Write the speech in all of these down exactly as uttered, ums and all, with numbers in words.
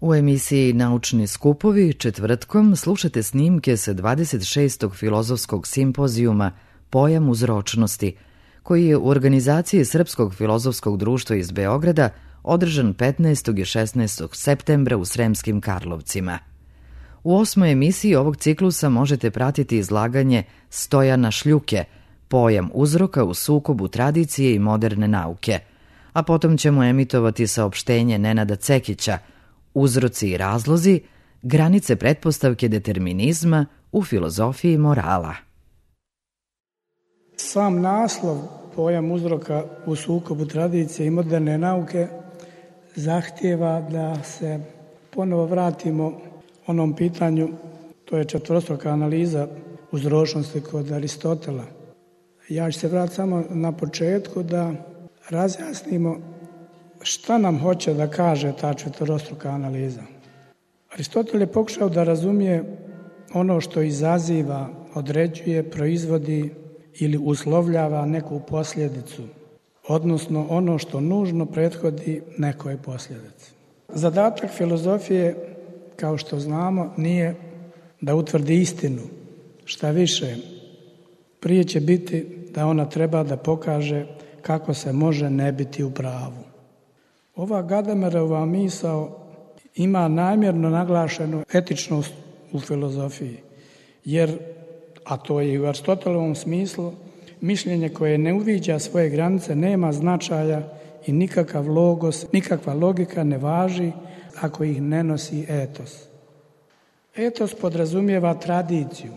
U emisiji Naučni skupovi četvrtkom slušate snimke sa dvadeset šestog filozofskog simpozijuma Pojam uzročnosti, koji je u organizaciji Srpskog filozofskog društva iz Beograda održan petnaestog i šesnaestog septembra u Sremskim Karlovcima. U osmoj emisiji ovog ciklusa možete pratiti izlaganje Stojana Šljuke, Pojam uzroka u sukobu tradicije i moderne nauke, a potom ćemo emitovati saopštenje Nenada Cekića Uzroci i razlozi, granice pretpostavke determinizma u filozofiji morala. Sam naslov Pojam uzroka u sukobu tradicije i moderne nauke zahtijeva da se ponovo vratimo onom pitanju, to je četvorostruka analiza uzročnosti kod Aristotela. Ja ću se vratiti samo na početku da razjasnimo šta nam hoće da kaže ta četvorostruka analiza. Aristotel je pokušao da razumije ono što izaziva, određuje, proizvodi ili uslovljava neku posljedicu, odnosno ono što nužno prethodi nekoj posljedici. Zadatak filozofije, kao što znamo, nije da utvrdi istinu. Šta više, prije će biti da ona treba da pokaže kako se može ne biti u pravu. Ova Gadamerova misao ima namjerno naglašenu etičnost u filozofiji, jer, a to je i u Aristotelovom smislu, mišljenje koje ne uviđa svoje granice nema značaja i nikakav logos, nikakva logika ne važi ako ih ne nosi etos. Etos podrazumijeva tradiciju,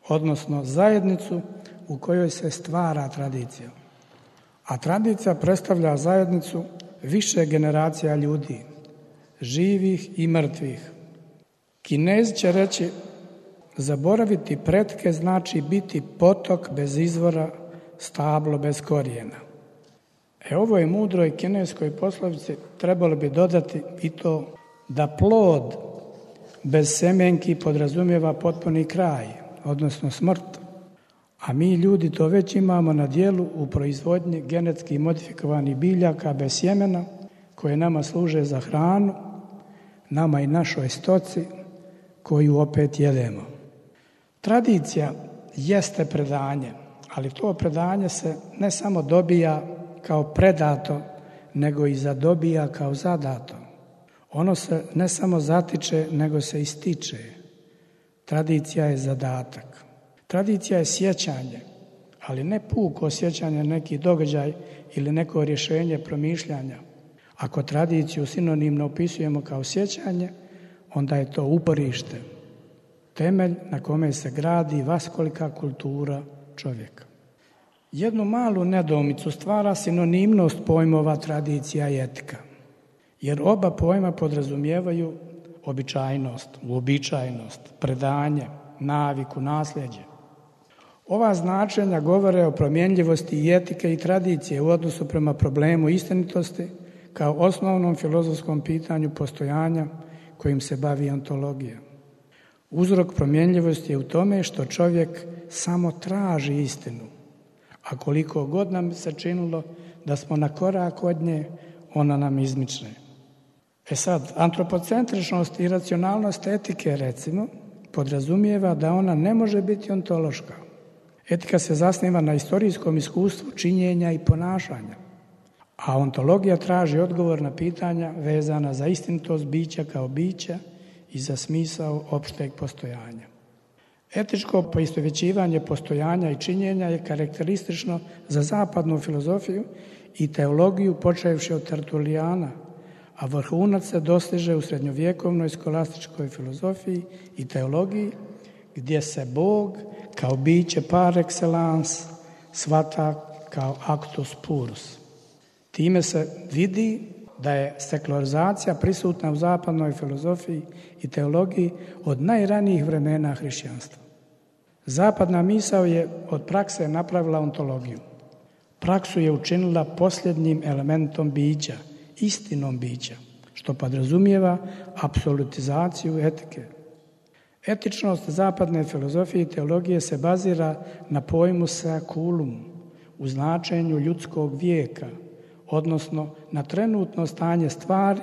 odnosno zajednicu u kojoj se stvara tradicija. A tradicija predstavlja zajednicu više generacija ljudi, živih i mrtvih. Kinezi će reći, zaboraviti pretke znači biti potok bez izvora, stablo bez korijena. E ovoj mudroj kineskoj poslovici trebalo bi dodati i to da plod bez semenki podrazumijeva potpuni kraj, odnosno smrt. A mi ljudi to već imamo na djelu u proizvodnji genetski modifikovanih biljaka bez sjemena koje nama služe za hranu, nama i našoj stoci koju opet jedemo. Tradicija jeste predanje, ali to predanje se ne samo dobija kao predato, nego i zadobija kao zadato. Ono se ne samo zatiče, nego se ističe. Tradicija je zadatak. Tradicija je sjećanje, ali ne puko sjećanje neki događaj ili neko rješenje promišljanja. Ako tradiciju sinonimno opisujemo kao sjećanje, onda je to uporište, temelj na kome se gradi vaskolika kultura čovjeka. Jednu malu nedoumicu stvara sinonimnost pojmova tradicija i etika, jer oba pojma podrazumijevaju običajnost, uobičajenost, predanje, naviku, nasljeđe. Ova značenja govore o promjenljivosti i etike i tradicije u odnosu prema problemu istinitosti kao osnovnom filozofskom pitanju postojanja kojim se bavi ontologija. Uzrok promjenljivosti je u tome što čovjek samo traži istinu, a koliko god nam se činilo da smo na korak od nje, ona nam izmične. E sad, antropocentričnost i racionalnost etike, recimo, podrazumijeva da ona ne može biti ontološka. Etika se zasniva na istorijskom iskustvu činjenja i ponašanja, a ontologija traži odgovor na pitanja vezana za istinitost bića kao bića i za smisao opšteg postojanja. Etičko poistovjećivanje postojanja i činjenja je karakteristično za zapadnu filozofiju i teologiju počevši od Tertulijana, a vrhunac se dostiže u srednjovjekovnoj skolastičkoj filozofiji i teologiji, gdje se Bog kao biće par excellence shvata kao actus purus. Time se vidi da je sekularizacija prisutna u zapadnoj filozofiji i teologiji od najranijih vremena hrišćanstva. Zapadna misao je od prakse napravila ontologiju. Praksu je učinila posljednjim elementom bića, istinom bića, što podrazumijeva apsolutizaciju etike. Etičnost zapadne filozofije i teologije se bazira na pojmu seculum, u značenju ljudskog vijeka, odnosno na trenutno stanje stvari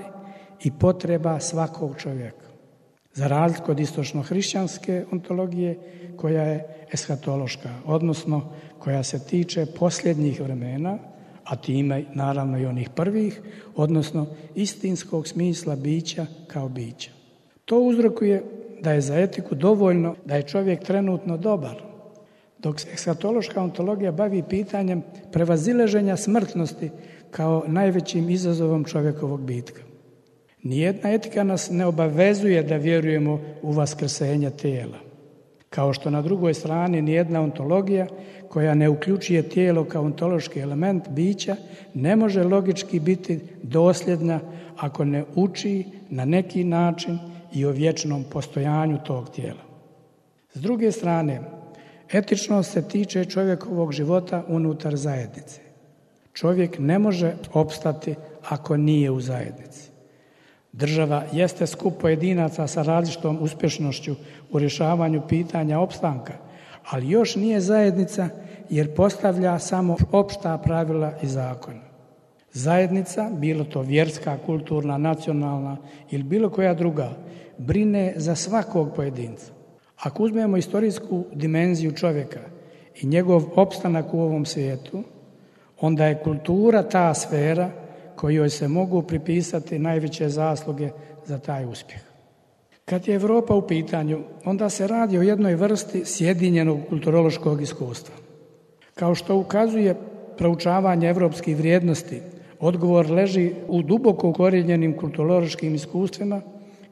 i potreba svakog čovjeka. Za razliku od istočno-hrišćanske ontologije koja je eshatološka, odnosno koja se tiče posljednjih vremena, a time naravno i onih prvih, odnosno istinskog smisla bića kao bića. To uzrokuje da je za etiku dovoljno da je čovjek trenutno dobar, dok se eshatološka ontologija bavi pitanjem prevazilaženja smrtnosti kao najvećim izazovom čovjekovog bitka. Nijedna etika nas ne obavezuje da vjerujemo u vaskrsenje tijela, kao što na drugoj strani nijedna ontologija koja ne uključuje tijelo kao ontološki element bića ne može logički biti dosljedna ako ne uči na neki način i o vječnom postojanju tog tijela. S druge strane, etičnost se tiče čovjekovog života unutar zajednice. Čovjek ne može opstati ako nije u zajednici. Država jeste skup pojedinaca sa različitom uspješnošću u rješavanju pitanja opstanka, ali još nije zajednica jer postavlja samo opšta pravila i zakone. Zajednica, bilo to vjerska, kulturna, nacionalna ili bilo koja druga, brine za svakog pojedinca. Ako uzmemo istorijsku dimenziju čovjeka i njegov opstanak u ovom svijetu, onda je kultura ta sfera kojoj se mogu pripisati najveće zasluge za taj uspjeh. Kad je Europa u pitanju, onda se radi o jednoj vrsti sjedinjenog kulturološkog iskustva. Kao što ukazuje proučavanje evropskih vrijednosti, odgovor leži u duboko ukorijenjenim kulturološkim iskustvima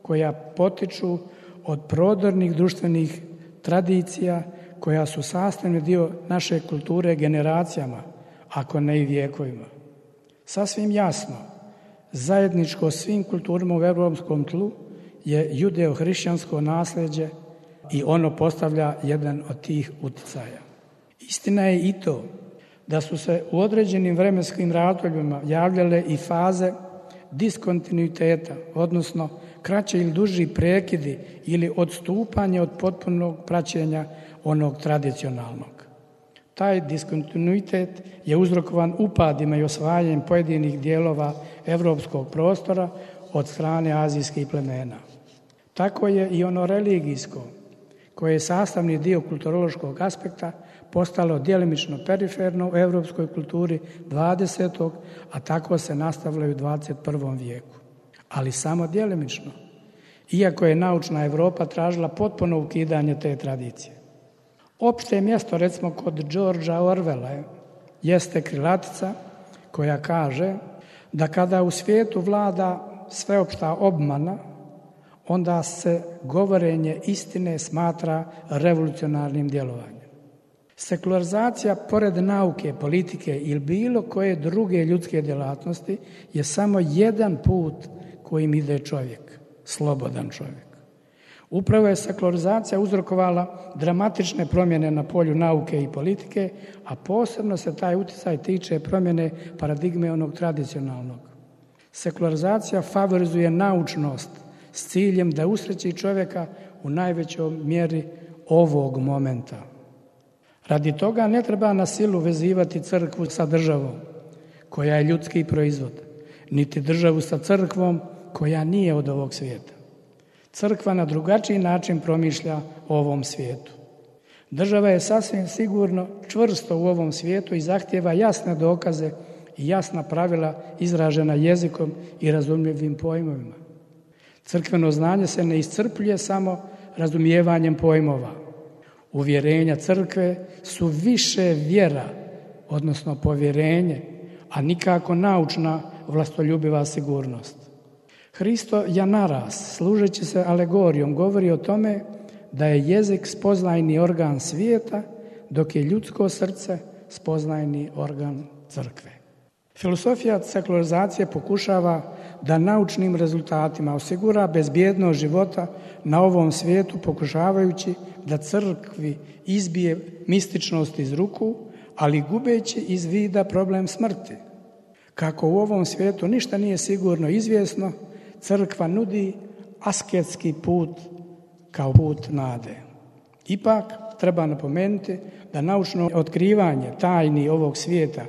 koja potiču od prodornih društvenih tradicija koja su sastavni dio naše kulture generacijama, ako ne i vijekovima. Sasvim jasno, zajedničko svim kulturama u europskom tlu je judeo-hrišćansko nasljeđe i ono postavlja jedan od tih utjecaja. Istina je i to da su se u određenim vremenskim razdobljima javljale i faze diskontinuiteta, odnosno kraće ili duži prekidi ili odstupanje od potpunog praćenja onog tradicionalnog. Taj diskontinuitet je uzrokovan upadima i osvajanjem pojedinih dijelova evropskog prostora od strane azijskih plemena. Tako je i ono religijsko, koje je sastavni dio kulturološkog aspekta, postalo djelimično periferno u evropskoj kulturi dvadesetog a tako se nastavlja i u dvadeset prvom vijeku. Ali samo djelimično, iako je naučna Europa tražila potpuno ukidanje te tradicije. Opšte mjesto, recimo kod Georgea Orwella, jeste krilatica koja kaže da kada u svijetu vlada sveopšta obmana, onda se govorenje istine smatra revolucionarnim djelovanjem. Sekularizacija, pored nauke, politike ili bilo koje druge ljudske djelatnosti, je samo jedan put kojim ide čovjek, slobodan čovjek. Upravo je sekularizacija uzrokovala dramatične promjene na polju nauke i politike, a posebno se taj utjecaj tiče promjene paradigme onog tradicionalnog. Sekularizacija favorizuje naučnost s ciljem da usreći čovjeka u najvećoj mjeri ovog momenta. Radi toga ne treba na silu vezivati crkvu sa državom, koja je ljudski proizvod, niti državu sa crkvom koja nije od ovog svijeta. Crkva na drugačiji način promišlja o ovom svijetu. Država je sasvim sigurno čvrsto u ovom svijetu i zahtijeva jasne dokaze i jasna pravila izražena jezikom i razumljivim pojmovima. Crkveno znanje se ne iscrpljuje samo razumijevanjem pojmova. Uvjerenja crkve su više vjera, odnosno povjerenje, a nikako naučna vlastoljubiva sigurnost. Hristo Janaras, služeći se alegorijom, govori o tome da je jezik spoznajni organ svijeta, dok je ljudsko srce spoznajni organ crkve. Filosofija sekularizacije pokušava da naučnim rezultatima osigura bezbjednost života na ovom svijetu, pokušavajući da crkvi izbije mističnost iz ruku, ali gubeći iz vida problem smrti. Kako u ovom svijetu ništa nije sigurno izvjesno, crkva nudi asketski put kao put nade. Ipak treba napomenuti da naučno otkrivanje tajni ovog svijeta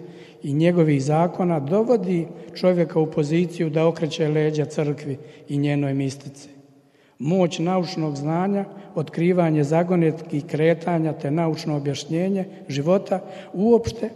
i njegovih zakona dovodi čovjeka u poziciju da okreće leđa crkvi i njenoj mistici. Moć naučnog znanja, otkrivanje zagonetkih kretanja te naučno objašnjenje života uopšte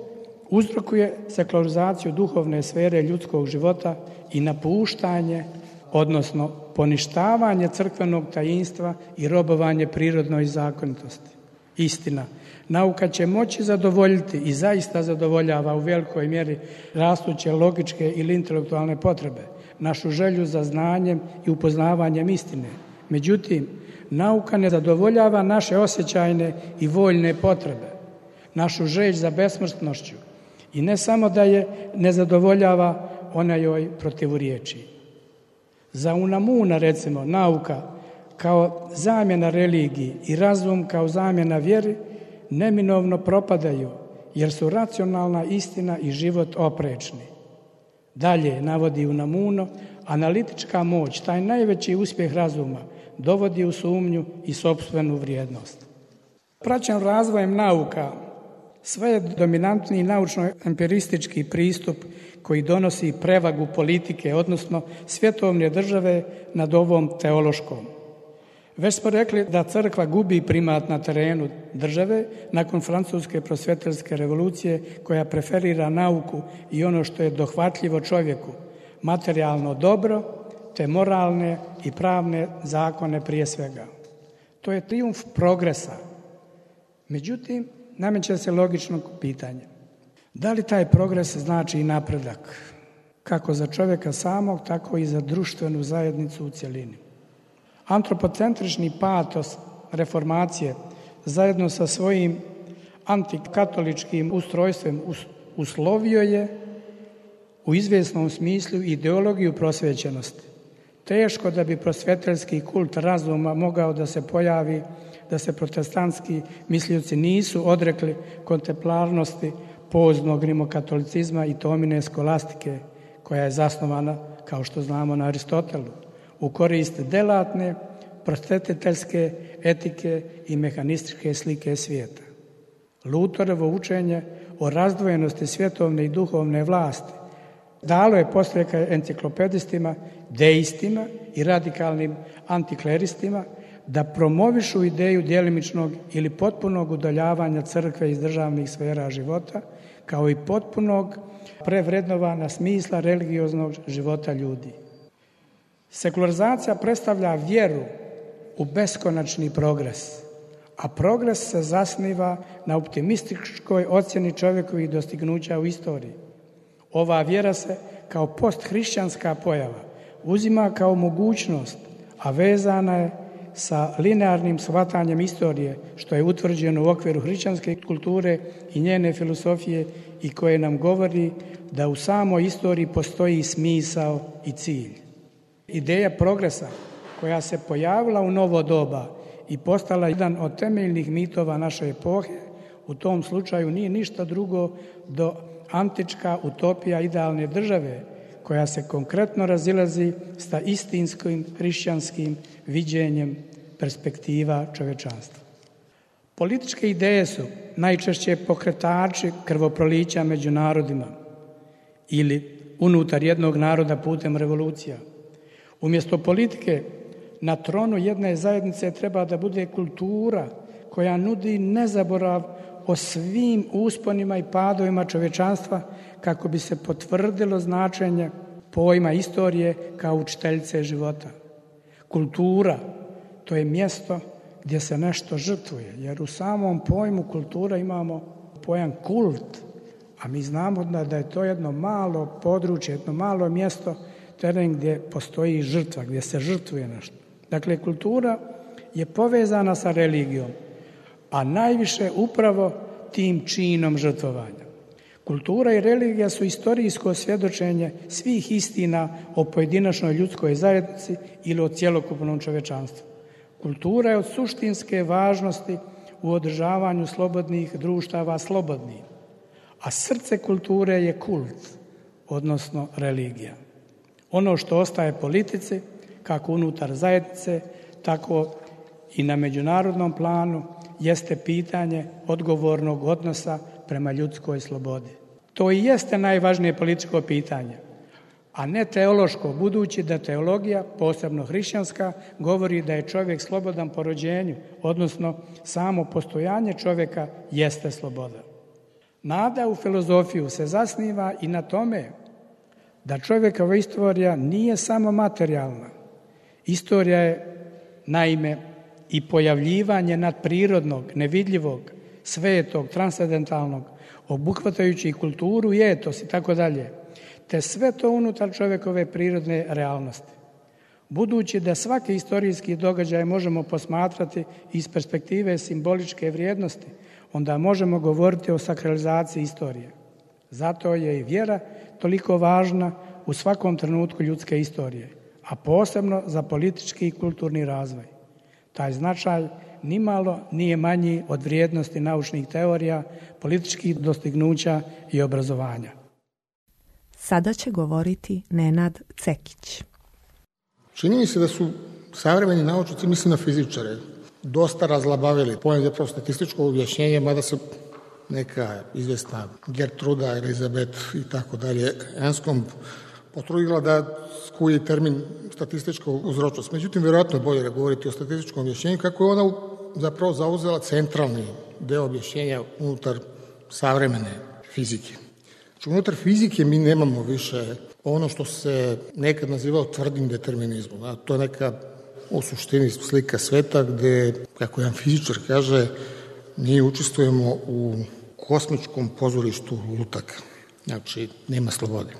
uzrokuje sekularizaciju duhovne sfere ljudskog života i napuštanje, odnosno poništavanje crkvenog tajinstva i robovanje prirodnoj zakonitosti. Istina, nauka će moći zadovoljiti i zaista zadovoljava u velikoj mjeri rastuće logičke ili intelektualne potrebe, našu želju za znanjem i upoznavanjem istine. Međutim, nauka ne zadovoljava naše osjećajne i voljne potrebe, našu želj za besmrtnošću i ne samo da je ne zadovoljava, ona joj protivuriječi. Za Unamuna, recimo, nauka kao zamjena religiji i razum kao zamjena vjeri neminovno propadaju, jer su racionalna istina i život oprečni. Dalje, navodi Unamuno, analitička moć, taj najveći uspjeh razuma, dovodi u sumnju i sopstvenu vrijednost. Praćen razvojem nauka, sve je dominantni naučno-empiristički pristup koji donosi prevagu politike, odnosno svjetovne države nad ovom teološkom. Već smo rekli da crkva gubi primat na terenu države nakon francuske prosvjeteljske revolucije koja preferira nauku i ono što je dohvatljivo čovjeku, materijalno dobro, te moralne i pravne zakone prije svega. To je trijumf progresa. Međutim, nameće se logično pitanje. Da li taj progres znači i napredak, kako za čovjeka samog, tako i za društvenu zajednicu u cjelini? Antropocentrični patos reformacije zajedno sa svojim antikatoličkim ustrojstvom uslovio je u izvjesnom smislu ideologiju prosvećenosti. Teško da bi prosvjeteljski kult razuma mogao da se pojavi, da se protestantski mislioci nisu odrekli kontemplarnosti poznog rimokatolicizma i Tomine skolastike, koja je zasnovana, kao što znamo, na Aristotelu, u korist delatne, prosvetiteljske etike i mehanističke slike svijeta. Luterovo učenje o razdvojenosti svjetovne i duhovne vlasti dalo je podstreka enciklopedistima, deistima i radikalnim antikleristima da promovišu ideju djelimičnog ili potpunog udaljavanja crkve iz državnih sfera života, kao i potpunog prevrednovanja smisla religioznog života ljudi. Sekularizacija predstavlja vjeru u beskonačni progres, a progres se zasniva na optimističkoj ocjeni čovjekovih dostignuća u istoriji. Ova vjera se kao posthrišćanska pojava uzima kao mogućnost, a vezana je sa linearnim shvatanjem istorije, što je utvrđeno u okviru hrišćanske kulture i njene filosofije i koje nam govori da u samoj istoriji postoji smisao i cilj. Ideja progresa koja se pojavila u novo doba i postala jedan od temeljnih mitova naše epohe, u tom slučaju nije ništa drugo do antička utopija idealne države, koja se konkretno razilazi sa istinskim hrišćanskim viđenjem perspektiva čovječanstva. Političke ideje su najčešće pokretači krvoprolića među narodima ili unutar jednog naroda putem revolucija. Umjesto politike, na tronu jedne zajednice treba da bude kultura koja nudi nezaborav o svim usponima i padovima čovječanstva kako bi se potvrdilo značenje pojma istorije kao učiteljice života. Kultura, to je mjesto gdje se nešto žrtvuje, jer u samom pojmu kultura imamo pojam kult, a mi znamo da je to jedno malo područje, jedno malo mjesto, teren gdje postoji žrtva, gdje se žrtvuje nešto. Dakle, kultura je povezana sa religijom, a najviše upravo tim činom žrtvovanja. Kultura i religija su istorijsko svjedočenje svih istina o pojedinačnoj ljudskoj zajednici ili o cjelokupnom čovječanstvu. Kultura je od suštinske važnosti u održavanju slobodnih društava slobodnih, a srce kulture je kult, odnosno religija. Ono što ostaje politici, kako unutar zajednice, tako i na međunarodnom planu, jeste pitanje odgovornog odnosa prema ljudskoj slobodi. to i jeste najvažnije političko pitanje, a ne teološko, budući da teologija, posebno hrišćanska, govori da je čovjek slobodan po rođenju, odnosno samo postojanje čovjeka jeste sloboda. Nada u filozofiju se zasniva i na tome da čovjekova istorija nije samo materijalna. Istorija je, naime, i pojavljivanje nadprirodnog, nevidljivog, svetog, transcendentalnog, obuhvatajući i kulturu i etos i tako dalje, te sve to unutar čovjekove prirodne realnosti. Budući da svaki istorijski događaj možemo posmatrati iz perspektive simboličke vrijednosti, onda možemo govoriti o sakralizaciji istorije. Zato je i vjera toliko važna u svakom trenutku ljudske istorije, a posebno za politički i kulturni razvoj. Taj značaj nimalo nije manji od vrijednosti naučnih teorija, političkih dostignuća i obrazovanja. Sada će govoriti Nenad Cekić. Čini mi se da su savremeni naučnici, mislim na fizičare, dosta razlabavili pojam zapravo statističko objašnjenje, mada se neka izvesna Gertruda, Elizabet i tako dalje Enskom potrudila da skuji termin statistička uzročnost. Međutim, vjerojatno je bolje govoriti o statističkom objašnjenju, kako je ona zapravo zauzela centralni deo objašnjenja unutar savremene fizike. Znači, unutar fizike mi nemamo više ono što se nekad nazivao tvrdim determinizmom. A to je neka u suštini slika sveta gde, kako jedan fizičar kaže, mi učestvujemo u kosmičkom pozorištu lutaka. Znači, nema slobode.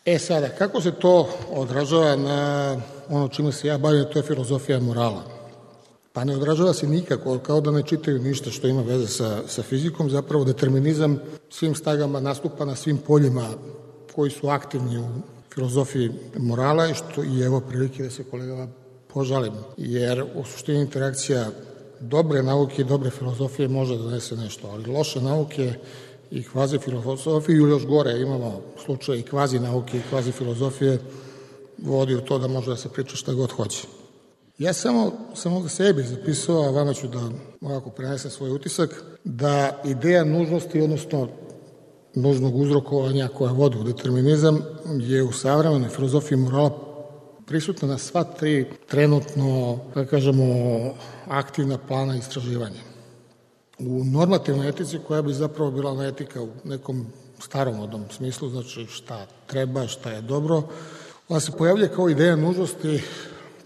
E sada, kako se to odražava na ono čime se ja bavim, to je filozofija morala. Pa ne odražava se nikako, kao da ne čitaju ništa što ima veze sa, sa fizikom. Zapravo determinizam svim stagama nastupa na svim poljima koji su aktivni u filozofiji morala i što i evo prilike da se kolegama požalim. Jer u suštini interakcija dobre nauke i dobre filozofije može da donese nešto, ali loše nauke i kvazi filozofije, ili još gore imamo slučaj i kvazi nauke i kvazi filozofije, vodi u to da može da se priča šta god hoće. Ja samo sam ovdje sebi zapisao, a vama ću da ovako prenesem svoj utisak, da ideja nužnosti, odnosno nužnog uzrokovanja koja vodi u determinizam, je u savremenoj filozofiji morala prisutna na sva tri trenutno, da kažemo, aktivna plana istraživanja. U normativnoj etici, koja bi zapravo bila etika u nekom staromodnom smislu, znači šta treba, šta je dobro, ona se pojavlja kao ideja nužnosti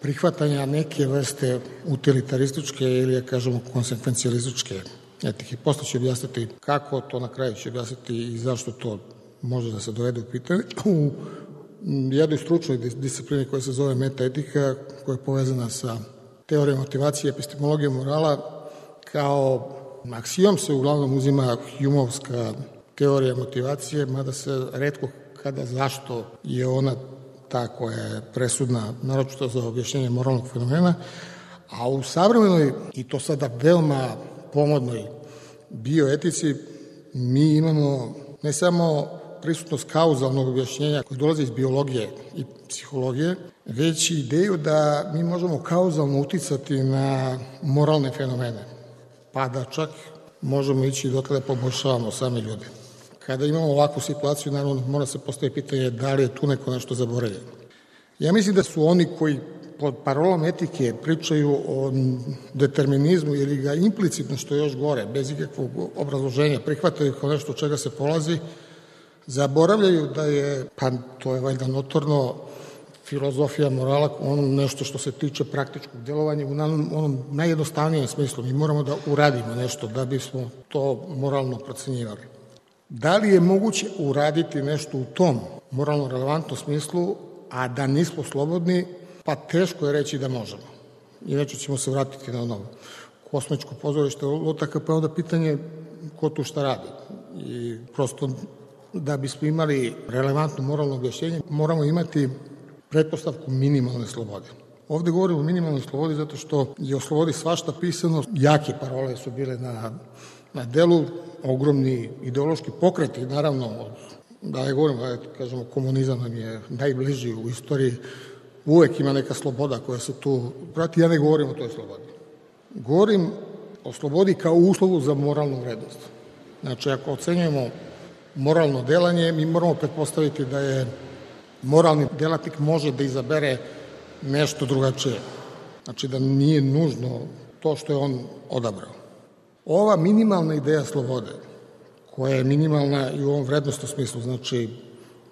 prihvatanja neke vrste utilitarističke ili, ja kažemo, konsekvencijalističke etike. Posle ću objasniti kako, to na kraju ću objasniti i zašto to može da se dovede u pitanje. U jednoj stručnoj disciplini koja se zove metaetika, koja je povezana sa teorijom motivacije i epistemologijom morala, kao aksijom se uglavnom uzima Humovska teorija motivacije, mada se retko kada zašto je ona ta koja je presudna, naročito za objašnjenje moralnog fenomena, a u savremenoj, i to sada veoma pomodnoj bioetici, mi imamo ne samo prisutnost kauzalnog objašnjenja koje dolazi iz biologije i psihologije, već i ideju da mi možemo kauzalno uticati na moralne fenomene, pa da čak možemo ići do tada poboljšavamo sami ljudi. Kada imamo ovakvu situaciju, naravno mora se postaviti pitanje da li je tu neko nešto zaboravljeno. Ja mislim da su oni koji pod parolom etike pričaju o determinizmu ili ga implicitno, što je još gore, bez ikakvog obrazloženja, prihvataju kao nešto od čega se polazi, zaboravljaju da je, pa to je valjda notorno, filozofija morala ono nešto što se tiče praktičkog djelovanja u onom najjednostavnijem smislu. Mi moramo da uradimo nešto da bismo to moralno procenjivali. Da li je moguće uraditi nešto u tom moralno relevantnom smislu, a da nismo slobodni, pa teško je reći da možemo. Inače ćemo se vratiti na ono kosmičko pozorište lutaka, pa je onda pitanje ko tu šta radi. I prosto da bismo imali relevantno moralno objašnjenje, moramo imati pretpostavku minimalne slobode. Ovde govorimo o minimalnoj slobodi zato što je o slobodi svašta pisano, jake parole su bile na, na delu, ogromni ideološki pokreti, naravno, da ne govorimo, da kažemo, komunizam nam je najbliži u istoriji, uvek ima neka sloboda koja se tu prati, ja ne govorim o toj slobodi. Govorim o slobodi kao uslovu za moralnu vrednost. Znači, ako ocenjujemo moralno delanje, mi moramo pretpostaviti da je moralni delatnik može da izabere nešto drugačije. Znači da nije nužno to što je on odabrao. Ova minimalna ideja slobode, koja je minimalna i u ovom vrednostnom smislu, znači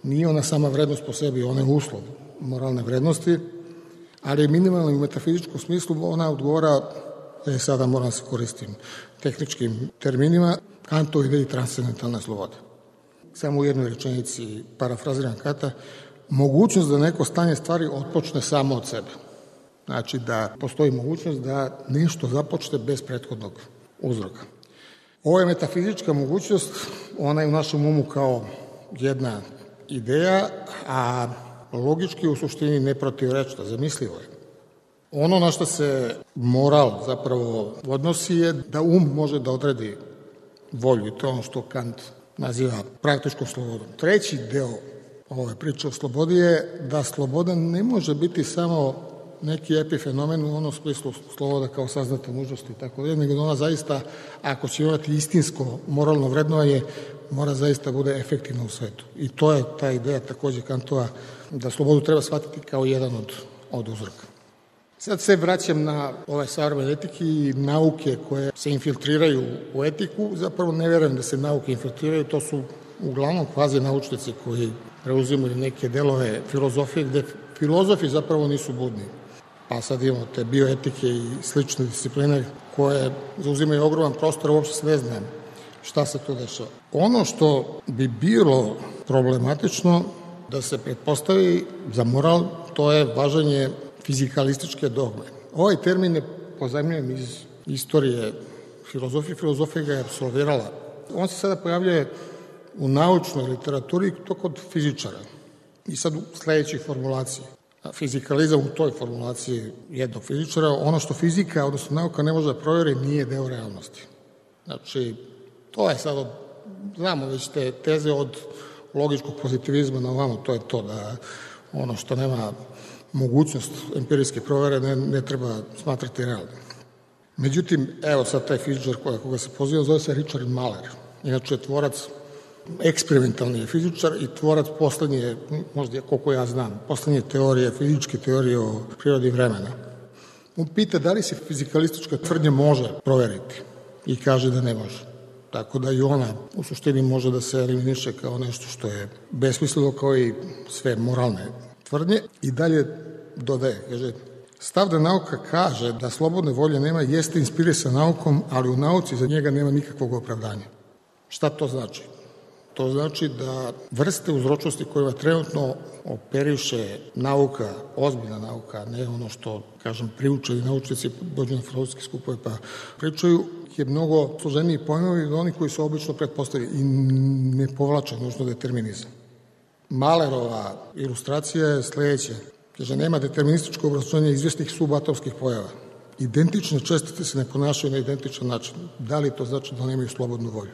nije ona sama vrednost po sebi, ona je uslov moralne vrednosti, ali je minimalna u metafizičkom smislu, ona odgovara, e, sada moram se koristim tehničkim terminima, Kantovoj ideji transcendentalne slobode. Samo u jednoj rečenici parafraziram Kanta, mogućnost da neko stanje stvari otpočne samo od sebe. Znači da postoji mogućnost da nešto započne bez prethodnog uzroka. Ovo je metafizička mogućnost, ona je u našem umu kao jedna ideja, a logički u suštini neprotivrečna, zamislivo je. Ono na što se moral zapravo odnosi je da um može da odredi volju, i to je ono što Kant naziva praktičkom slobodom. Treći deo ove priče o slobodi je da sloboda ne može biti samo neki epifenomen u onom smislu sloboda kao saznata nužnosti i tako dalje, nego da ona zaista, ako će imati istinsko moralno vrednovanje, mora zaista bude efektivna u svetu. I to je ta ideja takođe Kantova, da slobodu treba shvatiti kao jedan od, od uzroka. Sad se vraćam na ove savremene etike i nauke koje se infiltriraju u etiku. Zapravo ne verujem da se nauke infiltriraju, to su uglavnom kvazi naučnici koji preuzimaju neke delove filozofije, gde filozofi zapravo nisu budni. Pa sad imamo te bioetike i slične discipline koje zauzimaju ogroman prostor, uopšte se ne znam šta se tu dešava. Ono što bi bilo problematično da se pretpostavi za moral, to je važenje fizikalističke dogme. Ovaj termin je pozajmljen iz istorije filozofije, filozofija ga je apsolvirala. On se sada pojavljuje u naučnoj literaturi, to kod fizičara. I sad u sledećoj formulaciji. Fizikalizam u toj formulaciji jednog fizičara, ono što fizika, odnosno nauka ne može da provjeri, nije deo realnosti. Znači, to je sad, od, znamo već te teze od logičkog pozitivizma na ovamo, to je to da ono što nema mogućnost empirijske provere ne, ne treba smatrati realnim. Međutim, evo sad taj fizičar koja, koga se poziva zove se Richard Mahler. Inače, tvorac eksperimentalni je fizičar i tvorac poslednje, možda koliko ja znam, poslednje teorije, fizičke teorije o prirodi vremena. On pita da li se fizikalistička tvrdnja može proveriti i kaže da ne može. Tako da i ona u suštini može da se eliminiše kao nešto što je besmisleno, kao i sve moralne tvrdnje. I dalje dodaje, kaže, stav da nauka kaže da slobodne volje nema jeste inspirisan naukom, ali u nauci za njega nema nikakvog opravdanja. Šta to znači? To znači da vrste uzročnosti kojima trenutno operiše nauka, ozbiljna nauka, ne ono što, kažem, priučeni naučnici dođu na filozofske skupove pa pričaju, je mnogo složeniji pojmovi od onih koji su obično pretpostavili i ne povlače nužno determinizam. Mahlerova ilustracija je sledeća. Kaže, nema determinističko obrazloženje izvjesnih subatomskih pojava. Identične čestice se ne ponašaju na identičan način. Da li to znači da nemaju slobodnu volju?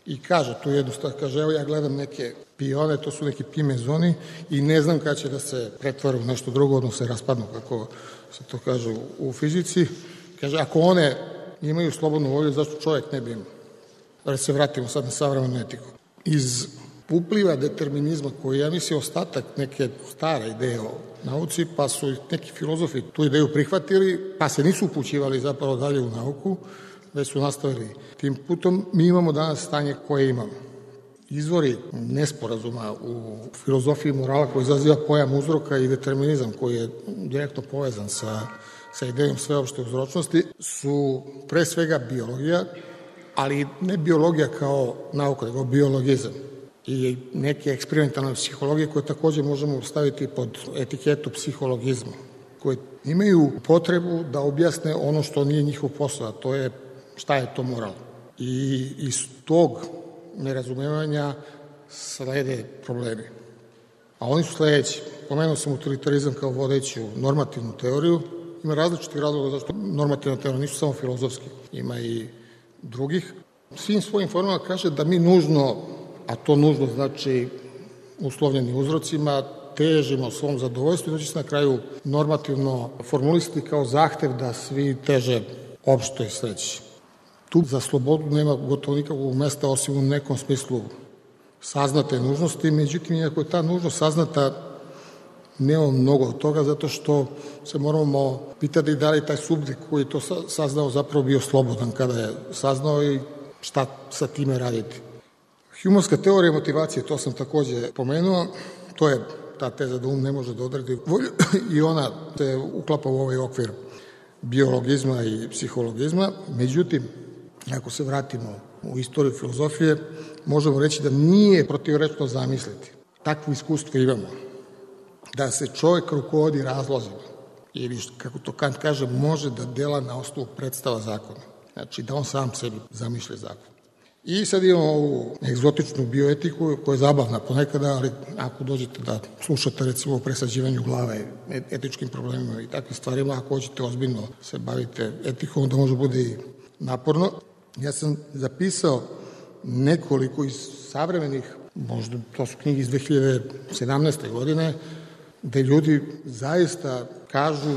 I kaže tu jednostavno, kaže, evo ja gledam neke pione, to su neki pi mezoni i ne znam kada će da se pretvore u nešto drugo, odnosno se raspadnu, kako se to kaže u, u fizici. Kaže, ako one imaju slobodnu volju, zašto čovjek ne bi imao? Da se vratimo sad na savremenu etiku. Iz upliva determinizma koji ja mislim ostatak neke stare ideje o nauci, pa su neki filozofi tu ideju prihvatili, pa se nisu upućivali zapravo dalje u nauku, već su nastavili tim putom. Mi imamo danas stanje koje imamo. Izvori nesporazuma u filozofiji morala koji izaziva pojam uzroka i determinizam koji je direktno povezan sa, sa idejom sveopšte uzročnosti su pre svega biologija, ali ne biologija kao nauka, nego biologizam i neke eksperimentalne psihologije koje takođe možemo staviti pod etiketu psihologizma, koje imaju potrebu da objasne ono što nije njihov posao, a to je šta je to moral. I iz tog nerazumevanja slede problemi. A oni su sledeći. Pomenuo sam utilitarizam kao vodeću normativnu teoriju. Ima različitih razloga zašto normativna teorija nisu samo filozofski. Ima i drugih. Svim svojim formama kaže da mi nužno, a to nužno znači uslovljeni uzrocima, težimo svom zadovoljstvu i da će se na kraju normativno formulisati kao zahtev da svi teže opšto i sledeći. Tu za slobodu nema gotovo nikakvog mesta osim u nekom smislu saznate nužnosti, međutim, iako je ta nužnost saznata, nema mnogo od toga, zato što se moramo pitati da li taj subjekt koji je to saznao zapravo bio slobodan kada je saznao i šta sa time raditi. Humanska teorija motivacije, to sam takođe pomenuo, to je ta teza da um ne može da odredi volju i ona se uklapa u ovaj okvir biologizma i psihologizma. Međutim, ako se vratimo u istoriju filozofije, možemo reći da nije protivrečno zamisliti. Takvo iskustvo imamo. Da se čovjek rukovodi razlozima ili, kako to Kant kaže, može da dela na osnovu predstava zakona. Znači da on sam sebi zamišlja zakon. I sad imamo ovu egzotičnu bioetiku koja je zabavna ponekada, ali ako dođete da slušate recimo o presađivanju glave, etičkim problemima i takvim stvarima, ako hoćete ozbiljno se bavite etikom, onda može bude i naporno. Ja sam zapisao nekoliko iz savremenih, možda to su knjige iz dve hiljade sedamnaeste. godine, gde ljudi zaista kažu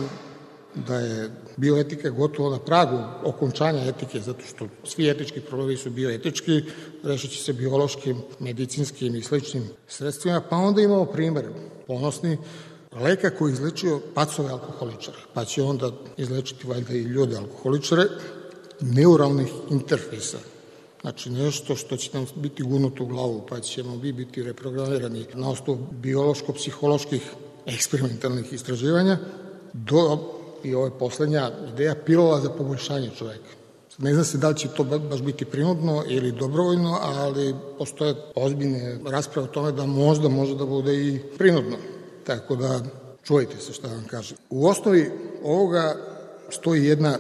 da je bioetika gotovo na pragu okončanja etike, zato što svi etički problemi su bioetički, rešit će se biološkim, medicinskim i sličnim sredstvima, pa onda imamo primer ponosni leka koji je izlečio pacove alkoholičara, pa će onda izlečiti valjda i ljude alkoholičare, neuralnih interfejsa. Znači nešto što će nam biti gurnuto u glavu, pa ćemo mi biti reprogramirani na osnovu biološko-psiholoških eksperimentalnih istraživanja, do i ovo je poslednja ideja, pilula za poboljšanje čoveka. Ne zna se da li će to baš biti prinudno ili dobrovoljno, ali postoje ozbiljne rasprave o tome da možda može da bude i prinudno. Tako da čujte se šta vam kažem. U osnovi ovoga stoji jedna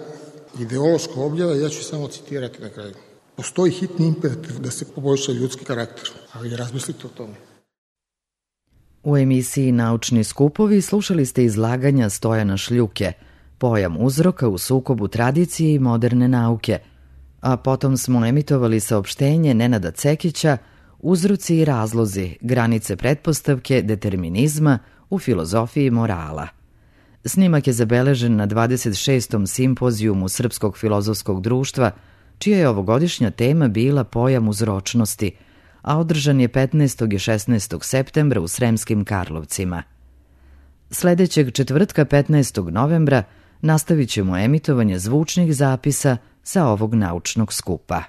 ideološka objava, ja ću samo citirati na kraju. Postoji hitni imperativ da se poboljša ljudski karakter, ali razmislite o tome. U emisiji Naučni skupovi slušali ste izlaganja Stojana Šljuke, Pojam uzroka u sukobu tradicije i moderne nauke, a potom smo emitovali saopštenje Nenada Cekića Uzroci i razlozi, granice pretpostavke determinizma u filozofiji morala. Snimak je zabeležen na dvadeset šestom simpozijumu Srpskog filozofskog društva, čija je ovogodišnja tema bila Pojam uzročnosti, a održan je petnaestog i šesnaestog septembra u Sremskim Karlovcima. Sledećeg četvrtka petnaestog novembra nastavit ćemo emitovanje zvučnih zapisa sa ovog naučnog skupa.